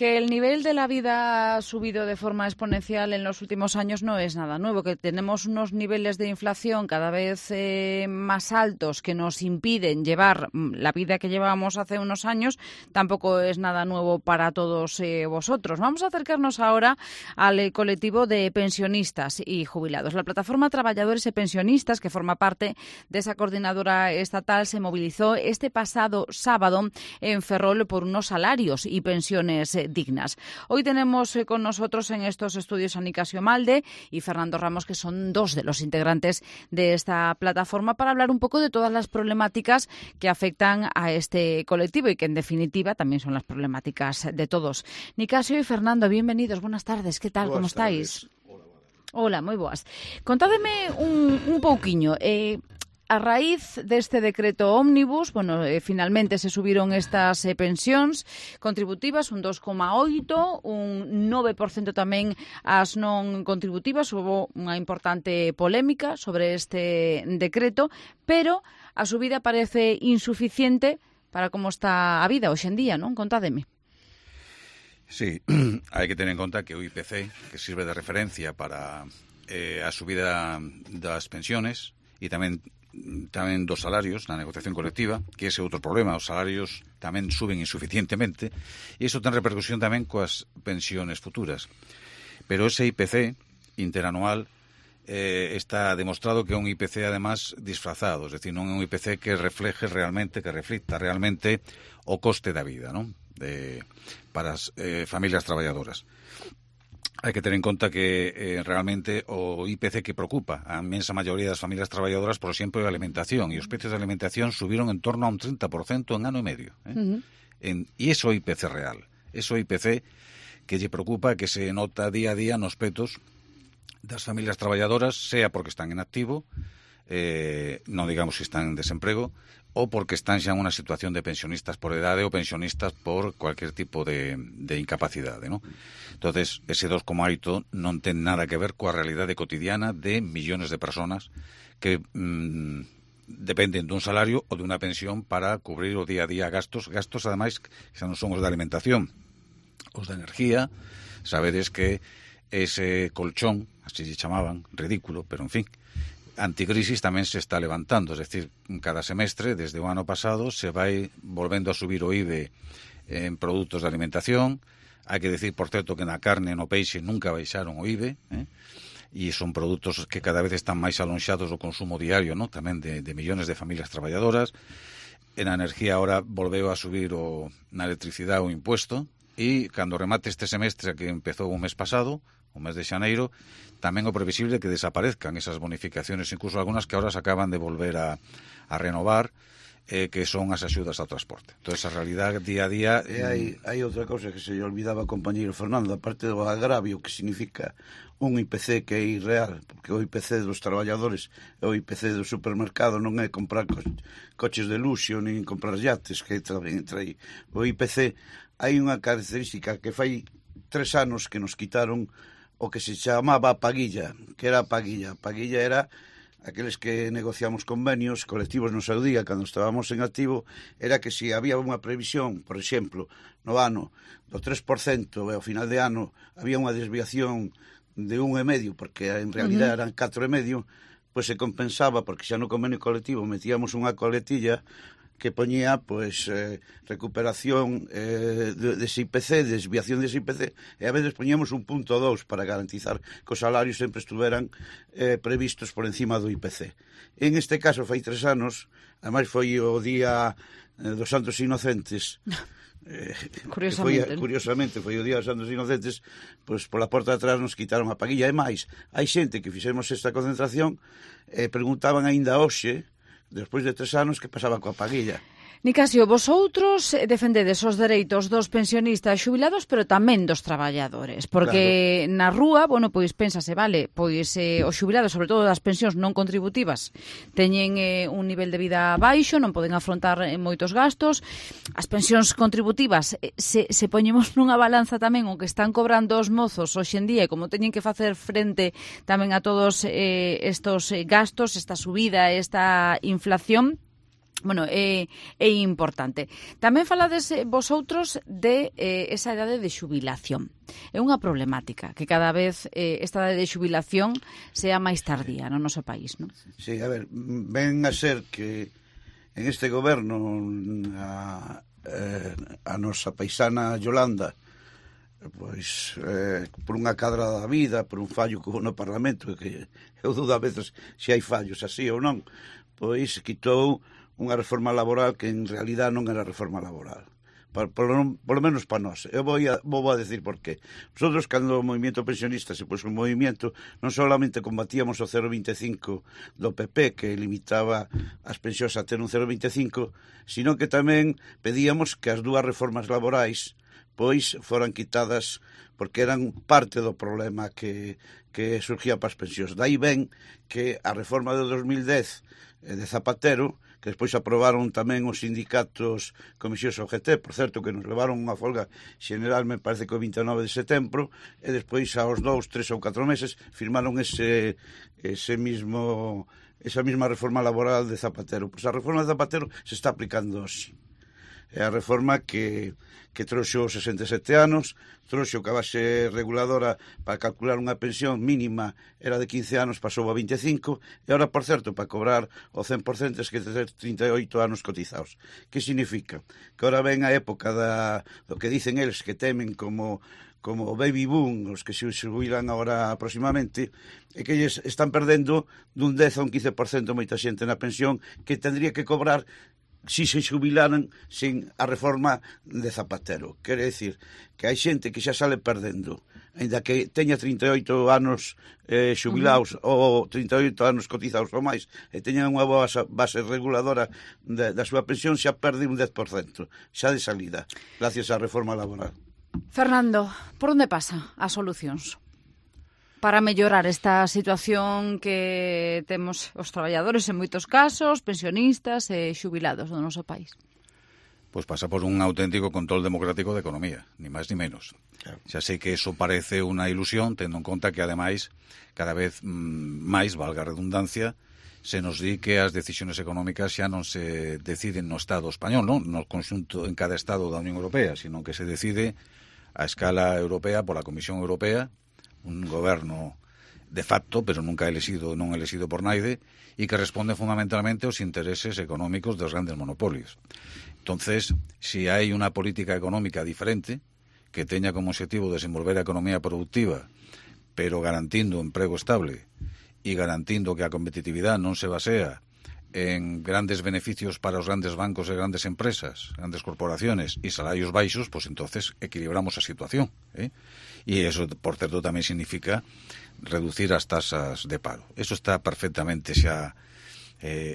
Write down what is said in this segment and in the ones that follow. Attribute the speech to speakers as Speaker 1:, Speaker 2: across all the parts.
Speaker 1: Que el nivel de la vida ha subido de forma exponencial en los últimos años no es nada nuevo, que tenemos unos niveles de inflación cada vez más altos que nos impiden llevar la vida que llevábamos hace unos años, tampoco es nada nuevo para todos vosotros. Vamos a acercarnos ahora al colectivo de pensionistas y jubilados. La plataforma Trabajadores y Pensionistas, que forma parte de esa coordinadora estatal, se movilizó este pasado sábado en Ferrol por unos salarios y pensiones dignas. Hoy tenemos con nosotros en estos estudios a Nicasio Malde y Fernando Ramos, que son dos de los integrantes de esta plataforma, para hablar un poco de todas las problemáticas que afectan a este colectivo y que en definitiva también son las problemáticas de todos. Nicasio y Fernando, bienvenidos, buenas tardes, ¿qué tal? ¿Cómo estáis? Hola, moi boas. Contádeme un pouquiño. A raíz deste decreto ómnibus, finalmente se subiron estas pensións contributivas, un 2,8, un 9% tamén as non contributivas. Houve unha importante polémica sobre este decreto, pero a subida parece insuficiente para como está a vida hoxe en día, non? Contádeme.
Speaker 2: Sí, hai que tener en conta que o IPC, que sirve de referencia para a subida das pensiones e tamén dos salarios na negociación colectiva, que ese é outro problema, os salarios tamén suben insuficientemente e iso ten repercusión tamén coas pensiones futuras. Pero ese IPC interanual está demostrado que é un IPC además disfrazado, es decir, non é un IPC que refleje realmente, que reflicta realmente o coste da vida, non? Para as familias traballadoras. Hai que ter en conta que realmente o IPC que preocupa a inmensa maioría das familias traballadoras, por exemplo, é a alimentación, e os precios de alimentación subiron en torno a un 30% en ano e medio. E iso é IPC real. Iso é IPC que lle preocupa, que se nota día a día nos petos das familias traballadoras, sea porque están en activo, non digamos se están en desemprego, ou porque están xa en unha situación de pensionistas por edade ou pensionistas por cualquier tipo de incapacidade, ¿no? Entonces, ese 2,8 non ten nada que ver coa realidade cotidiana de millones de personas que dependen dun salario ou de unha pensión para cubrir o día a día gastos ademais, que xa non son os de alimentación, os de energía. Sabedes que ese colchón, así se chamaban, ridículo, pero en fin, anticrisis tamén se está levantando, es decir, cada semestre, desde o ano pasado, se vai volvendo a subir o IVE en produtos de alimentación. Hai que decir, por certo, que na carne e no peixe nunca baixaron o IVE, e son produtos que cada vez están máis alonxados do consumo diario, ¿no? Tamén de millones de familias traballadoras. En a energía ahora volveu a subir na electricidade o impuesto, e cando remate este semestre que empezou o mes pasado, o mes de xaneiro, tamén o previsible que desaparezcan esas bonificaciones, incluso algunhas que ahora se acaban de volver a renovar, que son as axudas ao transporte. Entón, a realidade día a día...
Speaker 3: Hai outra cousa que se lle olvidaba, compañeiro Fernando, aparte do agravio que significa un IPC que é irreal, porque o IPC dos traballadores e o IPC do supermercado non é comprar coches de luxo, nin comprar yates, que tamén entra aí. O IPC, hai unha característica que fai 3 anos que nos quitaron o que se chamaba paguilla. Que era a paguilla? A paguilla era aqueles que negociamos convenios colectivos no seu día, cando estábamos en activo, era que se había unha previsión, por exemplo, no ano do 3% e ao final de ano había unha desviación de 1,5, porque en realidad eran 4,5, pois se compensaba, porque xa no convenio colectivo metíamos unha coletilla que poñía recuperación dese IPC, desviación dese IPC, e a veces poñíamos 1,2 para garantizar que os salarios sempre estuveran previstos por encima do IPC. En este caso, fai 3 anos, ademais foi o día dos Santos Inocentes, curiosamente foi o día dos Santos Inocentes, pois pola porta de atrás nos quitaron a paguilla. E máis, hai xente que fixemos esta concentración e preguntaban aínda hoxe, despois de 3 anos, que pasaba coa paguilla.
Speaker 1: Nicasio, vosotros defendedes os dereitos dos pensionistas xubilados, pero tamén dos traballadores, porque claro, na rúa, pois pénsase, vale, pois os xubilados, sobre todo das pensións non contributivas, teñen un nivel de vida baixo, non poden afrontar moitos gastos. As pensións contributivas, se poñemos nunha balanza tamén o que están cobrando os mozos hoxe en día, e como teñen que facer frente tamén a todos estos gastos, esta subida, esta inflación, Bueno, é importante. Tamén falades vosotros de esa idade de xubilación. É unha problemática que cada vez esta idade de xubilación sea máis tardía no noso país, non?
Speaker 3: Sí, a ver, ven a ser que en este goberno a nosa paisana Yolanda, pois por unha cadra da vida, por un fallo que hubo no Parlamento, que eu dudo a veces se hai fallos así ou non, pois quitou unha reforma laboral que en realidad non era reforma laboral. Por lo menos para nós. Eu vou a decir por qué. Nosotros, cando o movimento pensionista se pôs un movimento, non solamente combatíamos o 0,25 do PP, que limitaba as pensións a ter un 0,25, sino que tamén pedíamos que as dúas reformas laborais pois foran quitadas porque eran parte do problema que surgía para as pensións. Daí ven que a reforma de 2010 de Zapatero, que despois aprobaron tamén os sindicatos Comisións OGT, por certo, que nos levaron unha folga xeneral, me parece que o 29 de setembro, e despois aos 2, 3 ou 4 meses firmaron esa mesma reforma laboral de Zapatero. Pois a reforma de Zapatero se está aplicando hoxe. É a reforma que trouxo 67 anos, trouxo que a base reguladora para calcular unha pensión mínima era de 15 anos, pasou a 25, e agora, por certo, para cobrar o 100% es que ter 38 anos cotizados. Que significa? Que agora ven a época do que dicen eles que temen como baby boom, os que se jubilan agora aproximadamente, e que eles están perdendo dun 10 a un 15% moita xente na pensión que tendría que cobrar si se xubilaran sin a reforma de Zapatero. Quere decir que hai xente que xa sale perdendo, ainda que teña 38 anos xubilados ou 38 anos cotizados ou máis, e teñan unha boa base reguladora da súa pensión, xa perde un 10%, xa de salida, gracias á reforma laboral.
Speaker 1: Fernando, por onde pasa as solucións para mellorar esta situación que temos os traballadores en moitos casos, pensionistas e xubilados do noso país?
Speaker 2: Pois pasa por un auténtico control democrático de economía, ni máis ni menos. Claro. Xa sei que eso parece unha ilusión, tendo en conta que, ademais, cada vez máis, valga a redundancia, se nos di que as decisións económicas xa non se deciden no Estado español, non no conxunto en cada Estado da Unión Europea, sino que se decide a escala europea pola Comisión Europea, un goberno de facto, pero nunca non elegido por naide, e que responde fundamentalmente aos intereses económicos dos grandes monopolios. Entonces, si hai unha política económica diferente, que teña como objetivo desenvolver a economía productiva, pero garantindo emprego estable e garantindo que a competitividade non se basea en grandes beneficios para os grandes bancos e grandes empresas, grandes corporaciones e salarios baixos, pues entonces equilibramos a situación, E eso, por certo, tamén significa reducir as tasas de paro. Eso está perfectamente xa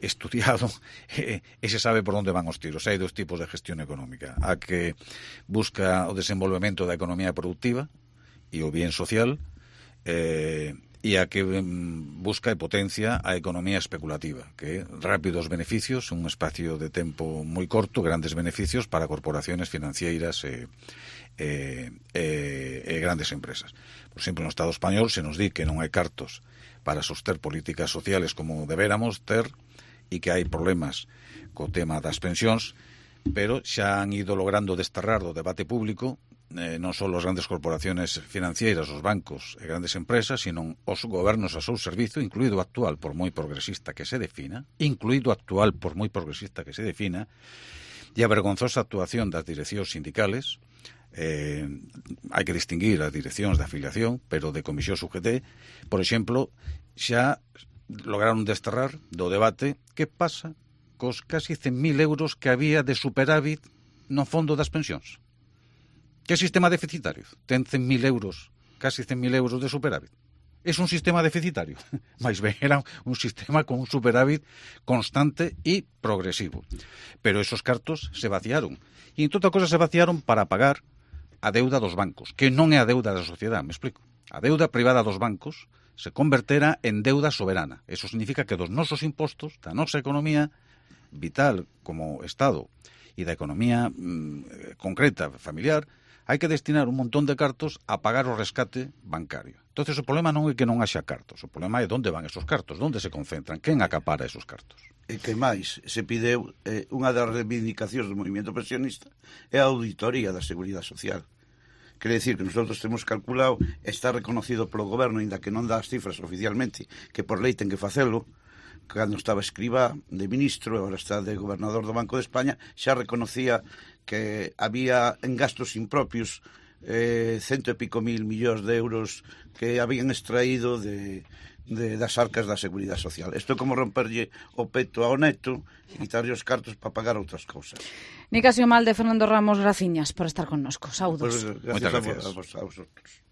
Speaker 2: estudiado e se sabe por onde van os tiros. Hai dos tipos de gestión económica. A que busca o desenvolvemento da economía productiva e o bien social, e a que busca e potencia a economía especulativa, que rápidos beneficios, un espacio de tempo moi corto, grandes beneficios para corporaciones financeiras e grandes empresas. Por exemplo, no Estado español se nos di que non hai cartos para soster políticas sociales como deberamos ter e que hai problemas co tema das pensións, pero xa han ido logrando desterrar do debate público non só as grandes corporaciones financieras, os bancos e grandes empresas, sino os gobernos a seu servizo, incluído o actual, por moi progresista que se defina, e a vergonzosa actuación das direccións sindicales. Hai que distinguir as direccións de afiliación, pero de comisión UGT, por exemplo, xa lograron desterrar do debate que pasa cos casi 100.000 euros que había de superávit no fondo das pensións. Que sistema deficitario? Ten 100.000 euros, casi 100.000 euros de superávit. Es un sistema deficitario? Mais ben, era un sistema con un superávit constante e progresivo. Pero esos cartos se vaciaron. E en toda cosa se vaciaron para pagar a deuda dos bancos, que non é a deuda da sociedade, me explico. A deuda privada dos bancos se convertera en deuda soberana. Eso significa que dos nosos impostos, da nosa economía vital como Estado e da economía concreta, familiar, hai que destinar un montón de cartos a pagar o rescate bancario. Entonces o problema non é que non haxa cartos, o problema é onde van esos cartos, onde se concentran, quen acapara esos cartos.
Speaker 3: E que máis, se pideu unha das reivindicacións do movimento pensionista é a auditoría da Seguridade Social. Quere dicir que nosotros temos calculado, está reconocido polo goberno, ainda que non dá as cifras oficialmente, que por lei ten que facelo, cando estaba Escribá de ministro, agora está de gobernador do Banco de España, xa reconocía que había en gastos impropios 100 e pico mil millóns de euros que habían extraído das arcas da Seguridade Social. Isto é como romperlle o peto ao neto e quitarlle os cartos para pagar outras cousas.
Speaker 1: Nicasio Malde, Fernando Ramos, graciñas por estar connosco. Saúdos.
Speaker 3: Pues, gracias a vosotros.